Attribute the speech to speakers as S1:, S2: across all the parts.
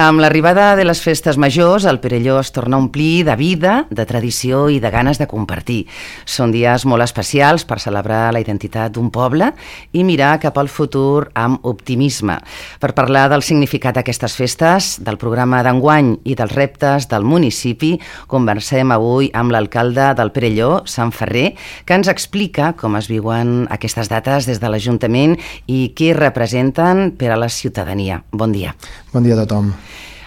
S1: Amb l'arribada de les festes majors, el Perelló es torna a omplir de vida, de tradició i de ganes de compartir. Són dies molt especials per celebrar la identitat d'un poble i mirar cap al futur amb optimisme. Per parlar del significat d'aquestes festes, del programa d'enguany i dels reptes del municipi, conversem avui amb l'alcalde del Perelló, Sant Ferrer, que ens explica com es viuen aquestes dates des de l'Ajuntament i què representen per a la ciutadania. Bon dia.
S2: Bon dia a tothom.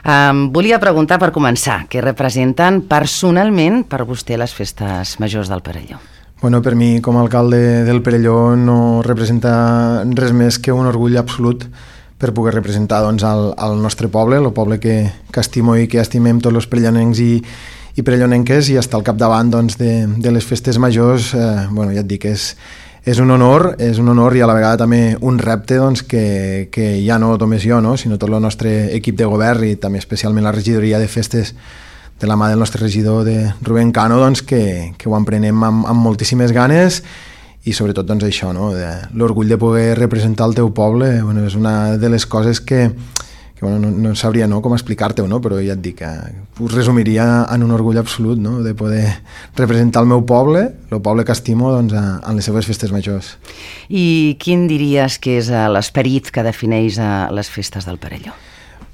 S1: Volia preguntar per començar, què representen personalment per vostè les festes majors del Perelló?
S2: Bueno, per mi, com a alcalde del Perelló, no representa res més que un orgull absolut per poder representar doncs, el nostre poble, el poble que estimo i que estimem tots els perellonencs i perellonenques, i estar al capdavant doncs, de les festes majors, bueno, ja et dic, és un honor i a la vegada també un repte doncs, que ja no només jo, no, sinó tot el nostre equip de govern i també especialment la regidoria de festes de la mà del nostre regidor de Rubén Cano, doncs, que ho emprenem amb moltíssimes ganes i sobretot doncs, això, no, l'orgull de poder representar el teu poble. Bueno, és una de les coses que bueno, no sabria com explicar-te-ho, no? Però ja et dic, ho resumiria en un orgull absolut, no? De poder representar el meu poble, el poble que estimo, doncs, en les seves festes majors.
S1: I quin diries que és l'esperit que defineix les festes del Perelló?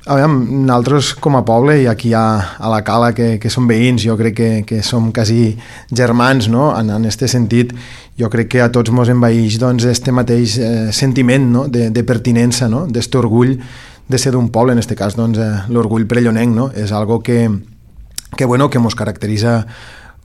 S2: A veure, nosaltres com a poble, i aquí a la Cala, que som veïns, jo crec que som quasi germans, no? En aquest sentit, jo crec que a tots ens envaeix doncs, este mateix sentiment, no? De pertinença, no? D'este orgull de ser d'un poble, en aquest cas doncs, l'orgull perellonenc, no? És algo que ens caracteritza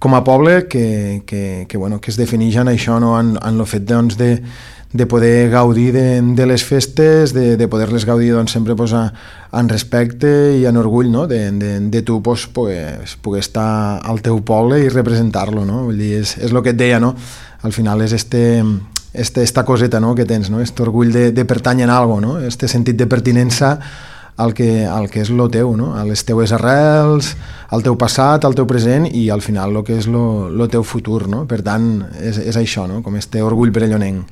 S2: com a poble, que es defineix en això, no? En el fet doncs, de poder gaudir de les festes, de poder-les gaudir doncs, sempre pues, en respecte i en orgull, no? De tu pues, poder estar al teu poble i representar-lo, no? Vull dir, és el que et deia, no? Al final és esta coseta, no? Que tens, no? Este orgull de pertànyer a algo, no? Este sentit de pertinença al que és lo teu, no? A les teues arrels, al teu passat, al teu present i al final lo que és lo teu futur, no? Per tant, és això, no? Com este orgull perellonenc.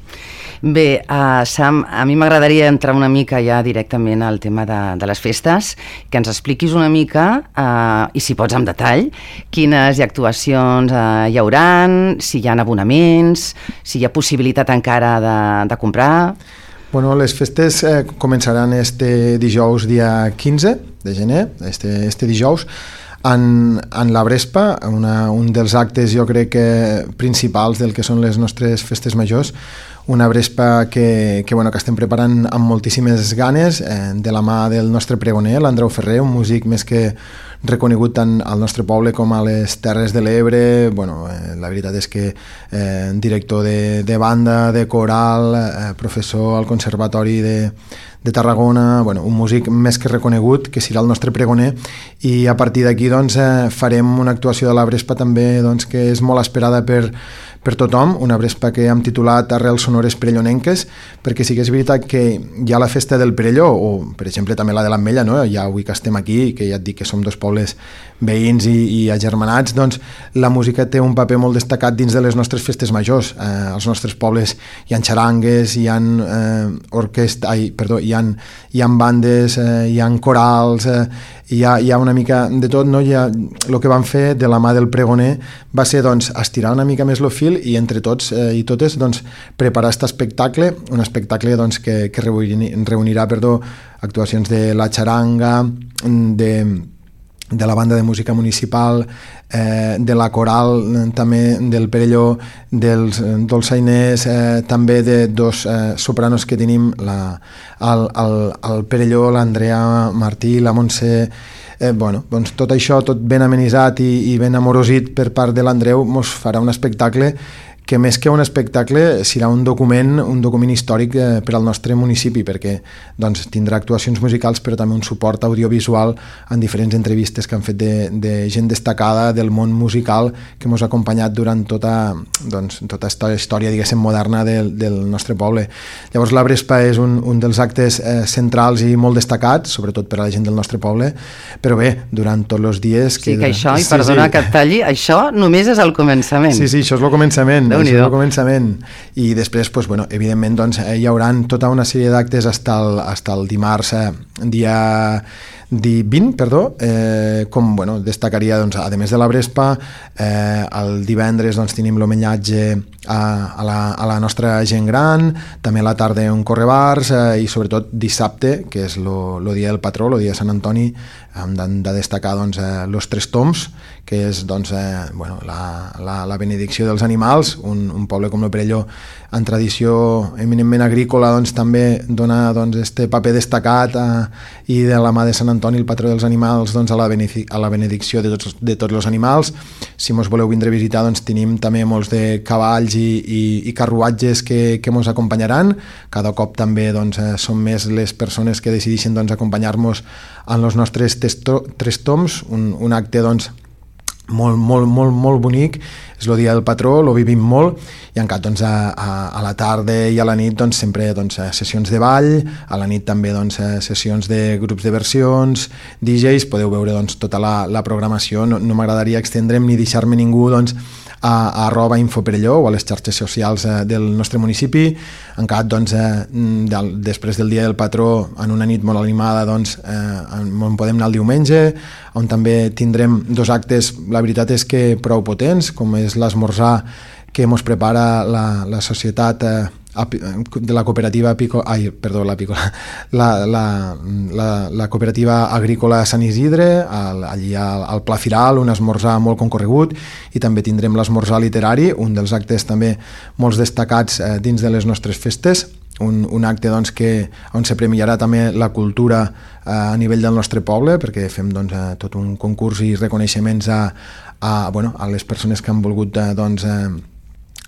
S1: Bé, Sam, a mi m'agradaria entrar una mica ja directament al tema de les festes, que ens expliquis una mica, i si pots amb detall, quines actuacions hi hauran, si hi ha abonaments, si hi ha possibilitat encara de comprar.
S2: Bueno, les festes començaran este dijous dia 15 de gener, este dijous, en la Brespa, un dels actes jo crec que principals del que són les nostres festes majors, una Brespa que estem preparant amb moltíssimes ganes, de la mà del nostre pregoner, l'Andreu Ferrer, un músic més que reconegut tant al nostre poble com a les Terres de l'Ebre. Bueno, la veritat és que director de banda, de coral, professor al Conservatori de Tarragona, bueno, un músic més que reconegut, que serà el nostre pregoner, i a partir d'aquí doncs, farem una actuació de la Brespa també doncs, que és molt esperada per tothom, una Brespa que hem titulat Arrels sonores perellonenques, perquè sí que és veritat que hi ha la festa del Perelló, o per exemple també la de l'Ametlla, no? Ja avui que estem aquí, que ja et dic que som dos pobles veïns i agermanats, doncs la música té un paper molt destacat dins de les nostres festes majors. Als nostres pobles hi ha xarangues, hi ha hi ha bandes, hi ha corals, hi ha una mica de tot, no? El que vam fer de la mà del pregoner va ser doncs, estirar una mica més el fil i entre tots i totes doncs, preparar aquest espectacle, un espectacle doncs, que reunirà actuacions de la xaranga, de la banda de música municipal, de la coral també del Perelló, dels dolçainers, també de dos sopranos que tenim al Perelló, l'Andrea Martí, la Montse. Doncs tot això, tot ben amenitzat i ben amorosit per part de l'Andreu, ens farà un espectacle que més que un espectacle serà un document històric per al nostre municipi, perquè doncs, tindrà actuacions musicals però també un suport audiovisual en diferents entrevistes que han fet de gent destacada del món musical que ens ha acompanyat durant tota aquesta història, diguéssim, moderna del nostre poble. Llavors la Brespa és un dels actes centrals i molt destacats, sobretot per a la gent del nostre poble, però bé, durant tots els dies...
S1: Sí, que això, i perdona que et talli, això només és el començament.
S2: Sí, això és el començament. I després, evidentment, hi haurà tota una sèrie d'actes fins al dimarts, dia Dia 20, perdó, com destacaria, doncs, a més de la Brespa, el divendres doncs, tenim l'homenatge a la nostra gent gran, també a la tarda un correbars i sobretot dissabte, que és el dia del patró, el dia de Sant Antoni, hem de destacar doncs, los Tres Tombs, que és doncs, la benedicció dels animals. Un poble com el Perelló, en tradició eminentment agrícola, doncs, també dona doncs, este paper destacat i de la mà de Sant Antoni, el patró dels animals, doncs, a la benedicció de tots els animals. Si mos voleu vindre a visitar, doncs, tenim també molts de cavalls i carruatges que mos acompanyaran. Cada cop també doncs, són més les persones que decideixen doncs, acompanyar-nos en els nostres Tres Tombs, un acte doncs, molt bonic. És el dia del patró, lo vivim molt, i encara doncs, a la tarda i a la nit doncs, sempre doncs, sessions de ball, a la nit també doncs, sessions de grups de versions, DJs, podeu veure doncs, tota la programació. No m'agradaria extendre'm ni deixar-me ningú doncs, a @infoperelló o a les xarxes socials del nostre municipi. Encara doncs, després del dia del patró, en una nit molt animada, doncs, on podem anar el diumenge, on també tindrem 2 actes, la veritat és que prou potents, com és l'esmorzar que ens prepara la societat de la cooperativa la cooperativa agrícola Sant Isidre, allí al Pla Firal, un esmorzar molt concorregut, i també tindrem l'esmorzar literari, un dels actes també molt destacats dins de les nostres festes, un acte doncs, on se premiarà també la cultura a nivell del nostre poble, perquè fem doncs, tot un concurs i reconeixements a les persones que han volgut doncs,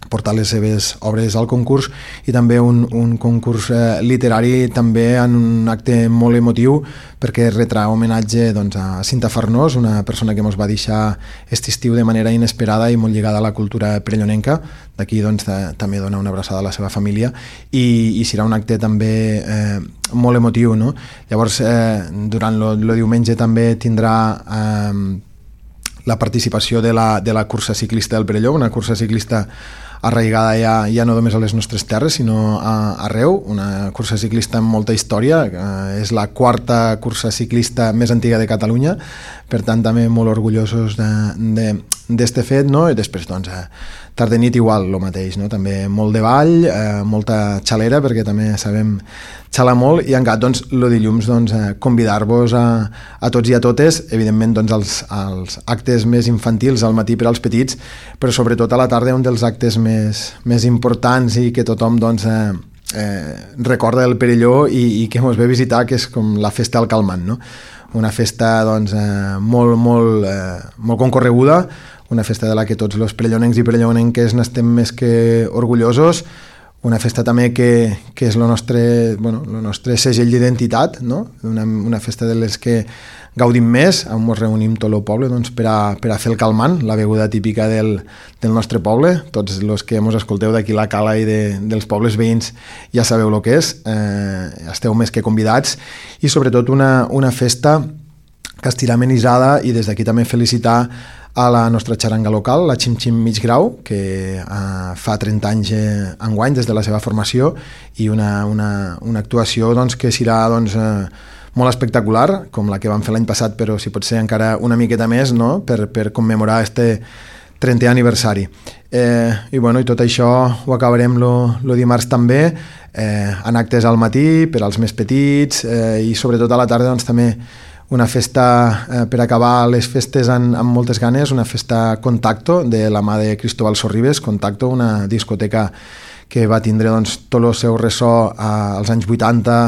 S2: portar les seves obres al concurs, i també un concurs literari també en un acte molt emotiu, perquè retrà homenatge doncs, a Cinta Farnós, una persona que ens va deixar aquest estiu de manera inesperada i molt lligada a la cultura perellonenca. D'aquí doncs, també dona una abraçada a la seva família, i serà un acte també molt emotiu, no? Llavors, durant el diumenge també tindrà la participació de la cursa ciclista del Perelló, una cursa ciclista arraigada ja no només a les nostres terres, sinó arreu, una cursa ciclista amb molta història. És la 4ª cursa ciclista més antiga de Catalunya, per tant també molt orgullosos d'este fet, no? I després doncs, tarda i nit igual, el mateix, no? També molt de ball, molta xalera, perquè també sabem xalar molt, i encara doncs, el dilluns doncs, convidar-vos a tots i a totes, evidentment doncs, als actes més infantils al matí per als petits, però sobretot a la tarda un dels actes més importants i que tothom doncs, recorda del Perelló i que ens ve a visitar, que és com la festa del Calmant, no? Una festa doncs, molt concorreguda, una festa de la que tots els perellonencs i perellonenques n'estem més que orgullosos, una festa també que és el nostre segell d'identitat, no? Una festa de les que gaudim més, on ens reunim tot el poble doncs, per a fer el calmant, la beguda típica del nostre poble. Tots els que ens escolteu d'aquí la Cala i dels pobles veïns ja sabeu el que és, esteu més que convidats, i sobretot una festa que estirà amenitzada, i des d'aquí també felicitar a la nostra xaranga local, la Xim Xim Mig Grau, que fa 30 anys enguany des de la seva formació, i una actuació doncs, que serà doncs, molt espectacular, com la que vam fer l'any passat, però si pot ser encara una miqueta més, no? per commemorar este 30è aniversari. I tot això ho acabarem el dimarts també, en actes al matí per als més petits, i sobretot a la tarda doncs, també una festa per acabar les festes amb moltes ganes, una festa Contacto de la mà de Cristóbal Sorribes. Contacto, una discoteca que va tindre doncs, tot el seu ressò als anys 80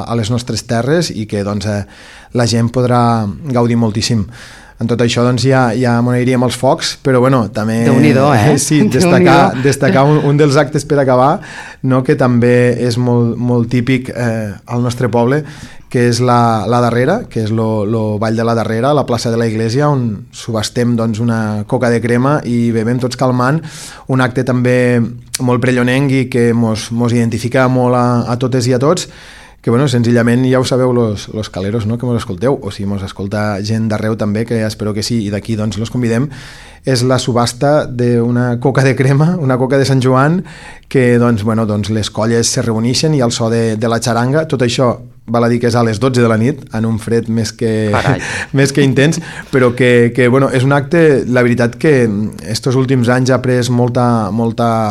S2: a les nostres terres, i que doncs, la gent podrà gaudir moltíssim. En tot això doncs, ja m'ho aniríem als focs, però també sí, destacar un dels actes per acabar, no? Que també és molt típic al nostre poble, que és la darrera, que és el ball de la darrera, a la plaça de la Iglesia, on subhastem doncs, una coca de crema i bevem tots calmant, un acte també molt perellonenc i que mos identifica molt a totes i a tots, que senzillament ja ho sabeu los caleros, no? Que mos escolteu, o si mos escolta gent d'arreu també, que espero que sí, i d'aquí doncs los convidem. és la subhasta d'una coca de crema, una coca de Sant Joan, que doncs, les colles se reuneixen i al so de la xaranga, tot això val a dir que és a les 12 de la nit, en un fred més que intens, però que és un acte, la veritat que estos últims anys ha pres molta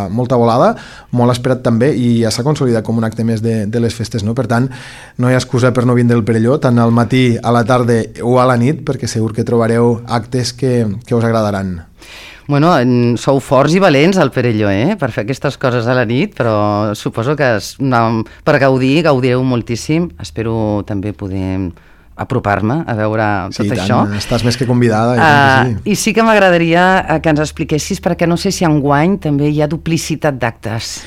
S2: volada, molt esperat també, i ja s'ha consolidat com un acte més de les festes, no? Per tant, no hi ha excusa per no vindre al Perelló, tant al matí, a la tarda o a la nit, perquè segur que trobareu actes que us agradaran.
S1: Bueno, sou forts i valents al Perelló, per fer aquestes coses a la nit, però suposo que per gaudireu moltíssim. Espero també poder apropar-me a veure tot això.
S2: Sí, estàs més que convidada.
S1: I sí que m'agradaria que ens expliquessis, perquè no sé si enguany també hi ha duplicitat d'actes.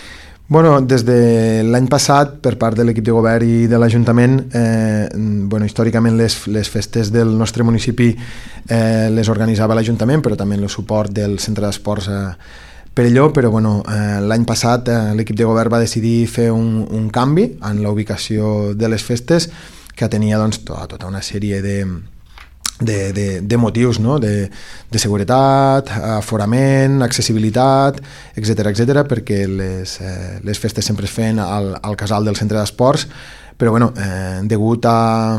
S2: Bueno, des de l'any passat, per part de l'equip de govern i de l'Ajuntament, històricament les festes del nostre municipi les organitzava l'Ajuntament, però també amb el suport del Centre d'Esports Perelló, però l'any passat l'equip de govern va decidir fer un canvi en la ubicació de les festes, que tenia tota una sèrie de motius, no? de seguretat, aforament, accessibilitat, etc, perquè les festes sempre es feien al casal del centre d'esports, però degut a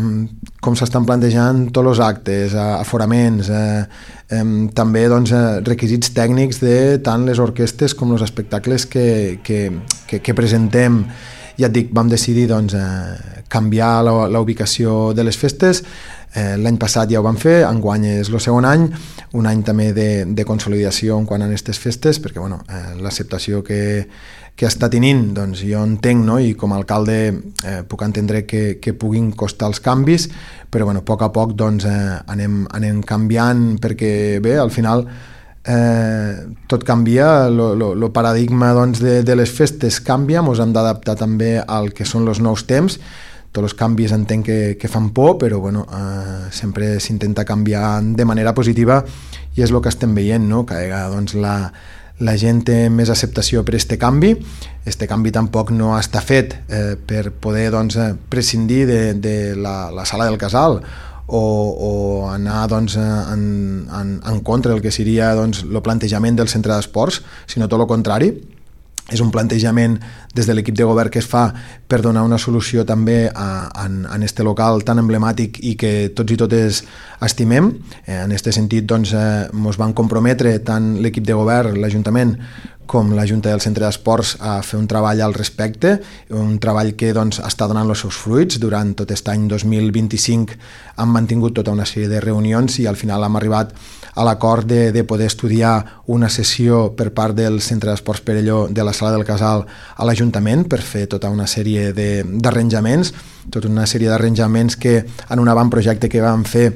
S2: com s'estan plantejant tots els actes, aforaments, també requisits tècnics de tant les orquestes com els espectacles que presentem, ja et dic, vam decidir canviar la ubicació de les festes. L'any passat ja ho vam fer, enguany és el segon any, un any també de consolidació en quant a aquestes festes, perquè l'acceptació que està tenint, jo entenc, no? I com a alcalde puc entendre que puguin costar els canvis, però a poc anem canviant, perquè bé, al final tot canvia, el paradigma de les festes canvia, ens hem d'adaptar també al que són els nous temps. Tots els canvis entenc que fan por, però sempre s'intenta canviar de manera positiva, i és el que estem veient, no? Que la gent té més acceptació per aquest canvi. Este canvi tampoc no està fet per poder prescindir de la sala del casal o anar en contra del que seria el plantejament del centre d'esports, sinó tot el contrari. És un plantejament des de l'equip de govern que es fa per donar una solució també en este local tan emblemàtic i que tots i totes estimem. En aquest sentit, ens van comprometre tant l'equip de govern, l'Ajuntament, com la Junta del Centre d'Esports a fer un treball al respecte, un treball que està donant els seus fruits. Durant tot aquest any 2025 hem mantingut tota una sèrie de reunions i al final hem arribat a l'acord de poder estudiar una sessió per part del Centre d'Esports Perelló de la Sala del Casal a l'Ajuntament per fer tota una sèrie d'arranjaments, que en un avantprojecte que vam fer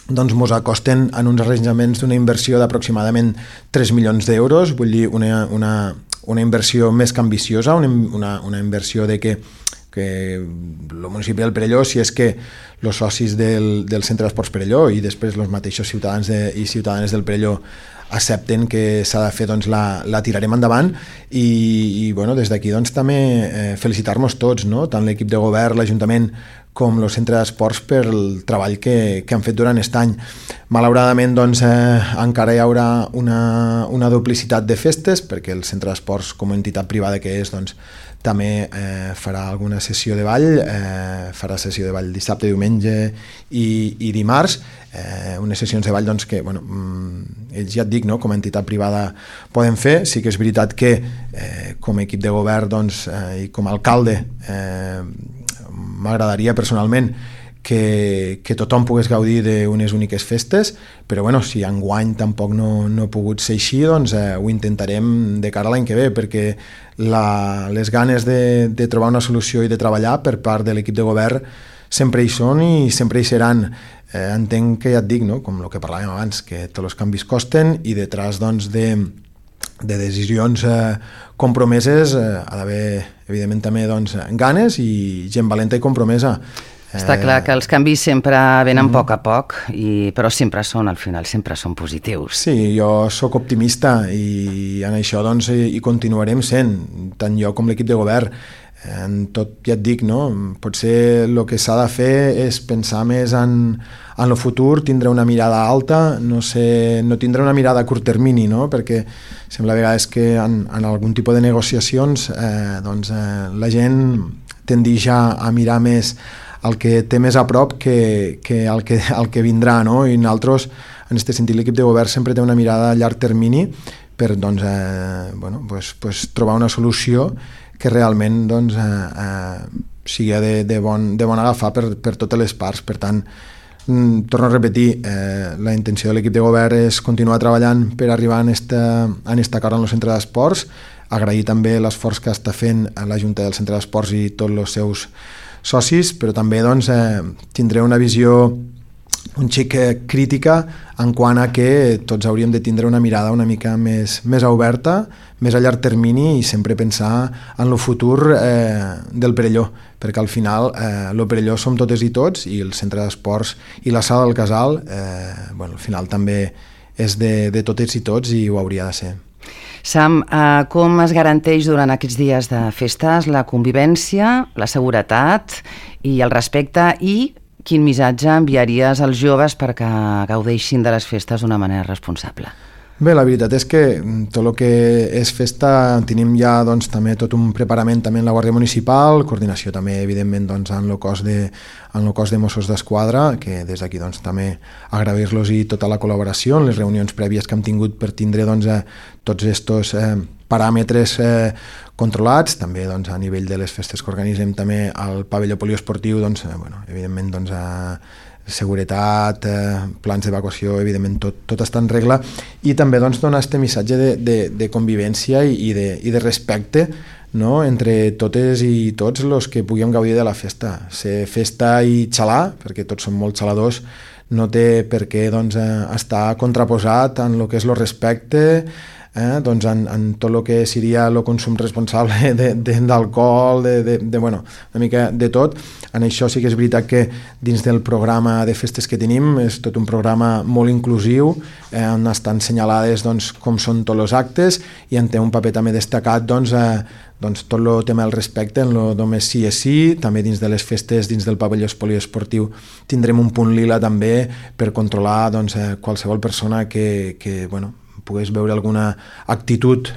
S2: ens acosten en uns arranjaments d'una inversió d'aproximadament 3 milions d'euros, vull dir una inversió més que ambiciosa, una inversió de que el municipi del Perelló, si és que els socis del Centre d'Esports Perelló i després els mateixos ciutadans i ciutadanes del Perelló accepten que s'ha de fer, la tirarem endavant i des d'aquí també felicitar-nos tots, no? Tant l'equip de govern, l'Ajuntament com el Centre d'Esports per el treball que han fet durant aquest any. Malauradament encara hi haurà una duplicitat de festes perquè el Centre d'Esports, com a entitat privada que és, també farà alguna sessió de ball, farà sessió de ball dissabte, diumenge i dimarts, unes sessions de ball que ells ja et dic, no? Com a entitat privada poden fer. Sí que és veritat que com a equip de govern i com a alcalde m'agradaria personalment que tothom pogués gaudir d'unes úniques festes, però si enguany tampoc no ha pogut ser així, ho intentarem de cara a l'any que ve, perquè les ganes de trobar una solució i de treballar per part de l'equip de govern sempre hi són i sempre hi seran. Entenc que ja et dic, no? Com el que parlàvem abans, que tots els canvis costen i detrás de decisions compromeses ha d'haver, evidentment, també ganes i gent valenta i compromesa.
S1: Està clar que els canvis sempre venen a poc, però sempre són, al final, sempre són positius.
S2: Sí, jo sóc optimista i en això hi continuarem sent, tant jo com l'equip de govern. En tot, ja et dic, no? Potser el que s'ha de fer és pensar més en el futur, tindre una mirada alta, no tindre una mirada a curt termini, no? Perquè sembla a vegades que en algun tipus de negociacions la gent tendeix a mirar més el que té més a prop que el que vindrà, no? I nosaltres, en aquest sentit, l'equip de govern sempre té una mirada a llarg termini per trobar una solució que realment sigui de bon agafar per totes les parts. Per tant, torno a repetir, la intenció de l'equip de govern és continuar treballant per arribar en esta acord en el centre d'esports, agrair també l'esforç que està fent la Junta del Centre d'Esports i tots els seus socis, però també tindré una visió un xic crítica en quant a que tots hauríem de tindre una mirada una mica més oberta, més a llarg termini i sempre pensar en el futur del Perelló, perquè al final el Perelló som totes i tots i el centre d'esports i la sala del Casal al final també és de totes i tots i ho hauria de ser.
S1: Sam, com es garanteix durant aquests dies de festes la convivència, la seguretat i el respecte i quin missatge enviaries als joves perquè gaudeixin de les festes d'una manera responsable?
S2: Bé, la veritat és que tot el que és festa tenim ja també tot un preparament també en la Guàrdia Municipal, coordinació també evidentment en el cos de Mossos d'Esquadra, que des d'aquí també agrair-los i tota la col·laboració en les reunions prèvies que hem tingut per tindre tots aquests paràmetres controlats, també a nivell de les festes que organitzem també al pavelló poliesportiu, evidentment seguretat, plans d'evacuació, evidentment tot està en regla, i també donar aquest missatge de convivència i de respecte, no? Entre totes i tots els que puguem gaudir de la festa. Ser festa i xalar, perquè tots som molt xaladors, no té per què estar contraposat en el que és el respecte, en tot el que seria el consum responsable d'alcohol, una mica de tot. En això sí que és veritat que dins del programa de festes que tenim és tot un programa molt inclusiu, on estan assenyalades com són tots els actes i en té un paper també destacat tot el tema del respecte en el només sí és sí. També dins de les festes, dins del pavelló poliesportiu tindrem un punt lila també per controlar qualsevol persona que pogués veure alguna actitud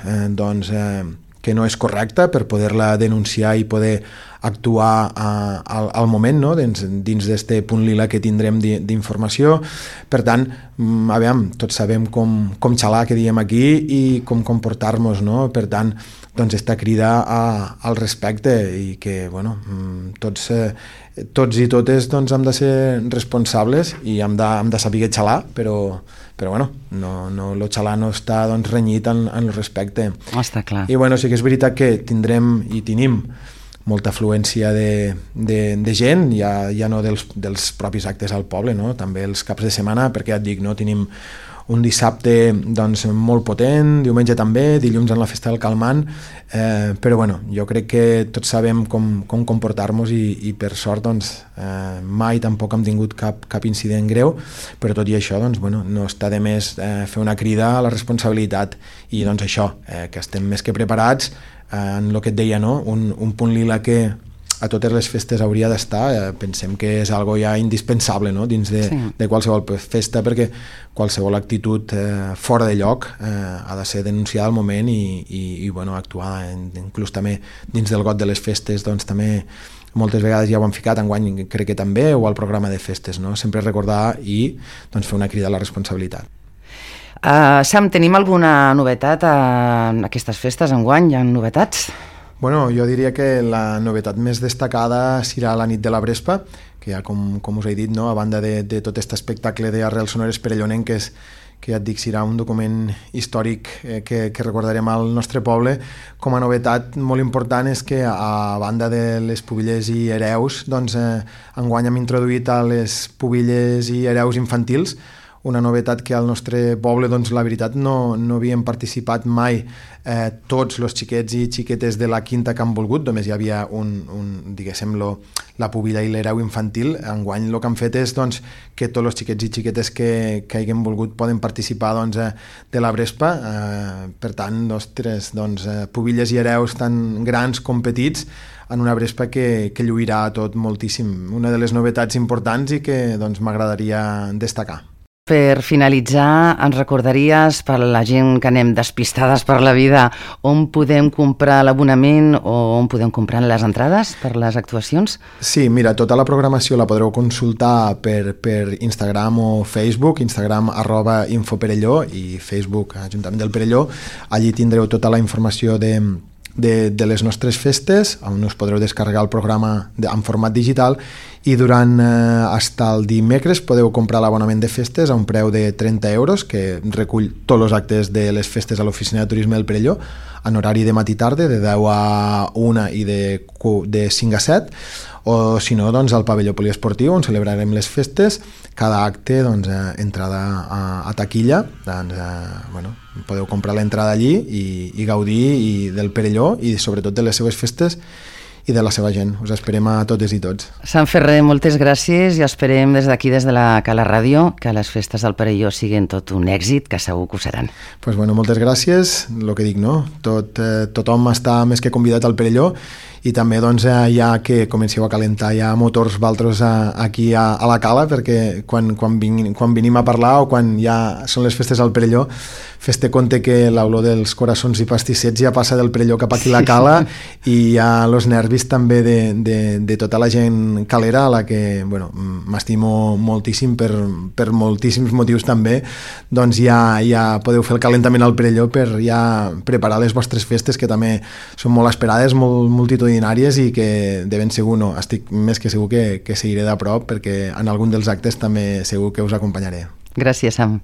S2: que no és correcta per poder-la denunciar i poder actuar al moment, no? dins d'aquest punt lila que tindrem d'informació. Per tant, tots sabem com xalar, que diem aquí, i com comportar-nos, no? Per tant, esta crida al respecte i que tots i totes hem de ser responsables i hem de saber xalar, però el xalar no està renyit en el respecte.
S1: Està clar.
S2: I sí que és veritat que tindrem i tenim molta afluència de gent, ja no dels propis actes al poble, no? També els caps de setmana, perquè ja et dic, no? Tenim un dissabte molt potent, diumenge també, dilluns en la festa del Calmant, però jo crec que tots sabem com comportar-nos i per sort mai tampoc hem tingut cap incident greu, però tot i això no està de més fer una crida a la responsabilitat i això, que estem més que preparats en el que et deia, no? Un punt lila que a totes les festes hauria d'estar, pensem que és algo ja indispensable, no? Dins de qualsevol festa, perquè qualsevol actitud fora de lloc ha de ser denunciada al moment i actuar inclús també dins del got de les festes, també moltes vegades ja ho han ficat, enguany crec que també, o al programa de festes, no? Sempre recordar i fer una crida a la responsabilitat.
S1: Sam, tenim alguna novetat en aquestes festes enguany? Hi ha novetats?
S2: Jo diria que la novetat més destacada serà la nit de la Brespa, que ja com us he dit, no? A banda de tot aquest espectacle d'arrels sonores perellonenques, que ja et dic serà un document històric que recordarem al nostre poble, com a novetat molt important és que a banda de les pubilles i hereus, enguany hem introduït a les pubilles i hereus infantils una novetat que al nostre poble, doncs, la veritat, no havien participat mai tots els xiquets i xiquetes de la quinta que han volgut, només hi havia diguéssim, la pubilla i l'hereu infantil. Enguany el que han fet és doncs, que tots els xiquets i xiquetes que hagin volgut poden participar doncs, de la Brespa. Per tant, ostres, doncs, pubilles i hereus tan grans com petits en una Brespa que lluirà tot moltíssim. Una de les novetats importants i que doncs, m'agradaria destacar.
S1: Per finalitzar, ens recordaries, per la gent que anem despistades per la vida, on podem comprar l'abonament o on podem comprar les entrades per les actuacions?
S2: Sí, mira, tota la programació la podreu consultar per Instagram o Facebook, Instagram @infoperelló i Facebook Ajuntament del Perelló. Allí tindreu tota la informació de les nostres festes, on us podreu descarregar el programa en format digital, i durant fins el dimecres podeu comprar l'abonament de festes a un preu de 30 euros, que recull tots els actes de les festes a l'Oficina de Turisme del Perelló, en horari de matí i tarda, de 10 a 1 i de 5 a 7, o si no, doncs, al pavelló poliesportiu, on celebrarem les festes. Cada acte, doncs, entrada a taquilla, doncs, podeu comprar l'entrada allí i gaudir del Perelló i sobretot de les seves festes i de la seva gent. Us esperem a totes i tots.
S1: Sant Ferrer, moltes gràcies i esperem des d'aquí, des de la Cala Ràdio, que les festes del Perelló siguin tot un èxit, que segur que ho seran.
S2: Pues bueno, moltes gràcies. El que dic, no? Tothom està més que convidat al Perelló, i també doncs, ja que comenceu a calentar ja motors valtros aquí a la Cala, perquè quan venim a parlar o quan ja són les festes al Perelló, fes-te compte que l'olor dels coraçons i pastissets ja passa del Perelló cap aquí a la Cala i ja els nervis també de tota la gent calera, a la que m'estimo moltíssim per moltíssims motius també. Doncs ja podeu fer el calentament al Perelló per ja preparar les vostres festes, que també són molt esperades, molt multitudinàries, i que de ben segur, estic més que segur que seguiré de prop, perquè en algun dels actes també segur que us acompanyaré.
S1: Gràcies, Sam.